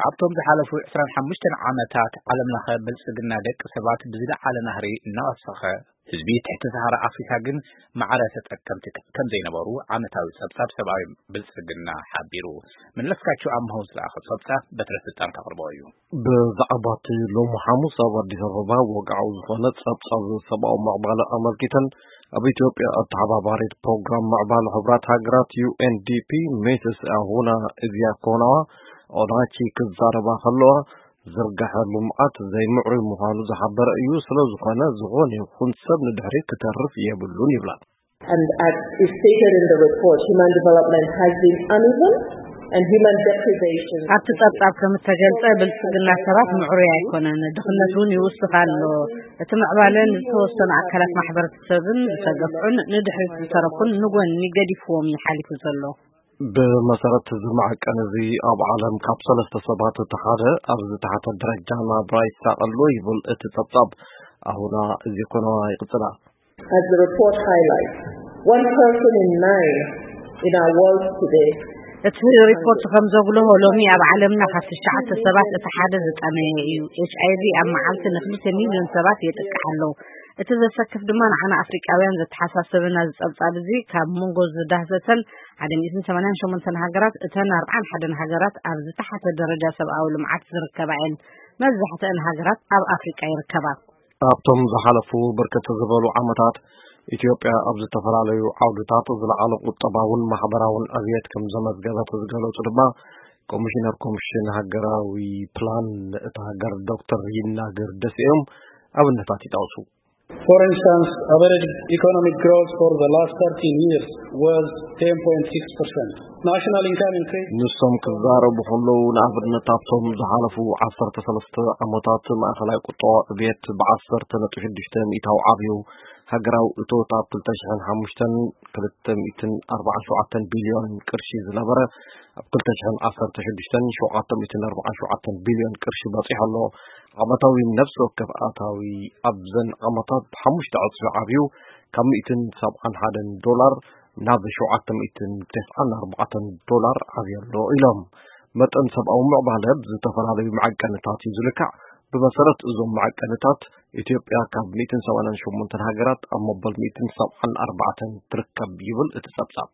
ኣብቶም ዝሓለፉ ዕስራን ሓሙሽተን ዓመታት ዓለም ለኸ ብልጽግና ደቂ ሰባት ብዝለዓለ ናህሪ እናወሰኸ፣ ህዝቢ ትሕቲ ሰሃራ ኣፍሪካ ግን ማዕረ ተጠቀምቲ ከም ዘይነበሩ ዓመታዊ ጸብጻብ ሰብኣዊ ብልጽግና ሓቢሩ። መለስካቸው ኣምሃው ዝለኣኸ ጸብጻብ በትረ ስልጣን ከቕርቦ እዩ። ብዛዕባ እቲ ሎሚ ሓሙስ ኣብ ኣዲስ ኣበባ ወግዓዊ ዝኾነ ጸብጻብ ሰብኣዊ ምዕባለ ኣመልኪተን ኣብ ኢትዮጵያ ኣተሓባባሪት ፕሮግራም ምዕባለ ሕቡራት ሃገራት ዩ ኤን ዲ ፒ ሚስስ ኣሁና እዚያኮናዋ ኦናቺ ክዛረባ ከለዋ፣ ዝርጋሐ ልምዓት ዘይምዕሩይ ምዃኑ ዝሓበረ እዩ። ስለ ዝኾነ፣ ዝኾነ ይኹን ሰብ ንድሕሪት ክተርፍ የብሉን ይብላ። And as is stated in the report, human development has been uneven and human deprivation. ኣብቲ ጸብጻብ ከም እተገልጸ፣ ብልጽግና ሰባት ምዕሩይ ኣይኮነን፣ ድኽነት እውን ይውስኽ ኣሎ። እቲ ምዕባለ ንዝተወሰኑ ኣካላት ማሕበረሰብን ዝተገፍዑን ንድሕሪት ዝተረፉን ንጎኒ ገዲፍዎም እዩ ሓሊፉ ዘሎ። ብመሰረት እዚ መዐቀኒ እዚ፣ ኣብ ዓለም ካብ ሰለስተ ሰባት እቲ ሓደ ኣብ ዝተሓተ ደረጃ ናብራ ይሳቐ ኣሎ ይብል እቲ ጸብጻብ። ኣሁና እዚ ኮነዋ ይቕጽላ። As the report highlights, one person in nine in our world today. እቲ ሪፖርት ከም ዘጉልሆ፣ ሎሚ ኣብ ዓለምና ካብ ትሽዓተ ሰባት እቲ ሓደ ዝጠመየ እዩ። ኤች ኣይ ቪ ኣብ መዓልቲ ንክልተ ሚልዮን ሰባት የጥቅዕ ኣሎ። እቲ ዘሰክፍ ድማ ንዓና ኣፍሪቃውያን ዘተሓሳሰበና እዚ ጸብጻብ እዚ፣ ካብ መንጎ ዝዳህሰሰን ሓደ ሚእትን ሰማንያን ሸሞንተን ሃገራት፣ እተን ኣርብዓን ሓደን ሃገራት ኣብ ዝተሓተ ደረጃ ሰብኣዊ ልምዓት ዝርከባ እየን። መብዛሕትአን ሃገራት ኣብ ኣፍሪቃ ይርከባ። ኣብቶም ዝሓለፉ ብርክት ዝበሉ ዓመታት፣ ኢትዮጵያ ኣብ ዝተፈላለዩ ዓውድታት ዝለዓለ ቁጠባውን ማሕበራውን ዕብየት ከም ዘመዝገበት ዝገለጹ ድማ ኮሚሽነር ኮሚሽን ሃገራዊ ፕላን እታ ሃገር ዶክተር ይናገር ደሴ እዮም። ኣብነታት ይጠቕሱ። For instance, average economic growth for the last thirteen years was ten point six percent. National income increased ንሶም ክዛረቡ ከለዉ፣ ንኣብነት ኣብቶም ዝሓለፉ ዓሰርተ ሰለስተ ዓመታት ማእኸላይ ቁጠባዊ ዕብየት ብዓሰርተ ነጥቢ ሽዱሽተ ሚእታዊ ዓብዩ። ሃገራዊ እቶት ኣብ ክልተ ሽሕን ሓሙሽተን ክልተ ሚእትን ኣርባዓን ሸውዓተን ቢልዮን ቅርሺ ዝነበረ፣ ኣብ ክልተ ሽሕን ዓሰርተ ሽዱሽተን ሸውዓተ ሚእትን ኣርባዓን ሸውዓተን ቢልዮን ቅርሺ በጺሑ ኣሎ። ዓመታዊ ነፍሲ ወከፍ ኣታዊ ኣብዘን ዓመታት ብሓሙሽተ ዕጽፊ ዓብዩ፣ ካብ ሚእትን ሰብዓን ሓደን ዶላር ናብ ሸውዓተ ሚእትን ተስዓን ኣርባዕተን ዶላር ዓብዩ ኣሎ ኢሎም። መጠን ሰብኣዊ ምዕባለ ብዝተፈላለዩ መዐቀንታት እዩ ዝልካዕ። ብመሰረት እዞም መዐቀንታት፣ ኢትዮጵያ ካብ ሚእትን ሰማንያን ሸሞንተን ሃገራት ኣብ መበል ሚእትን ሰብዓን ኣርባዕተን ትርከብ ይብል እቲ ጸብጻብ።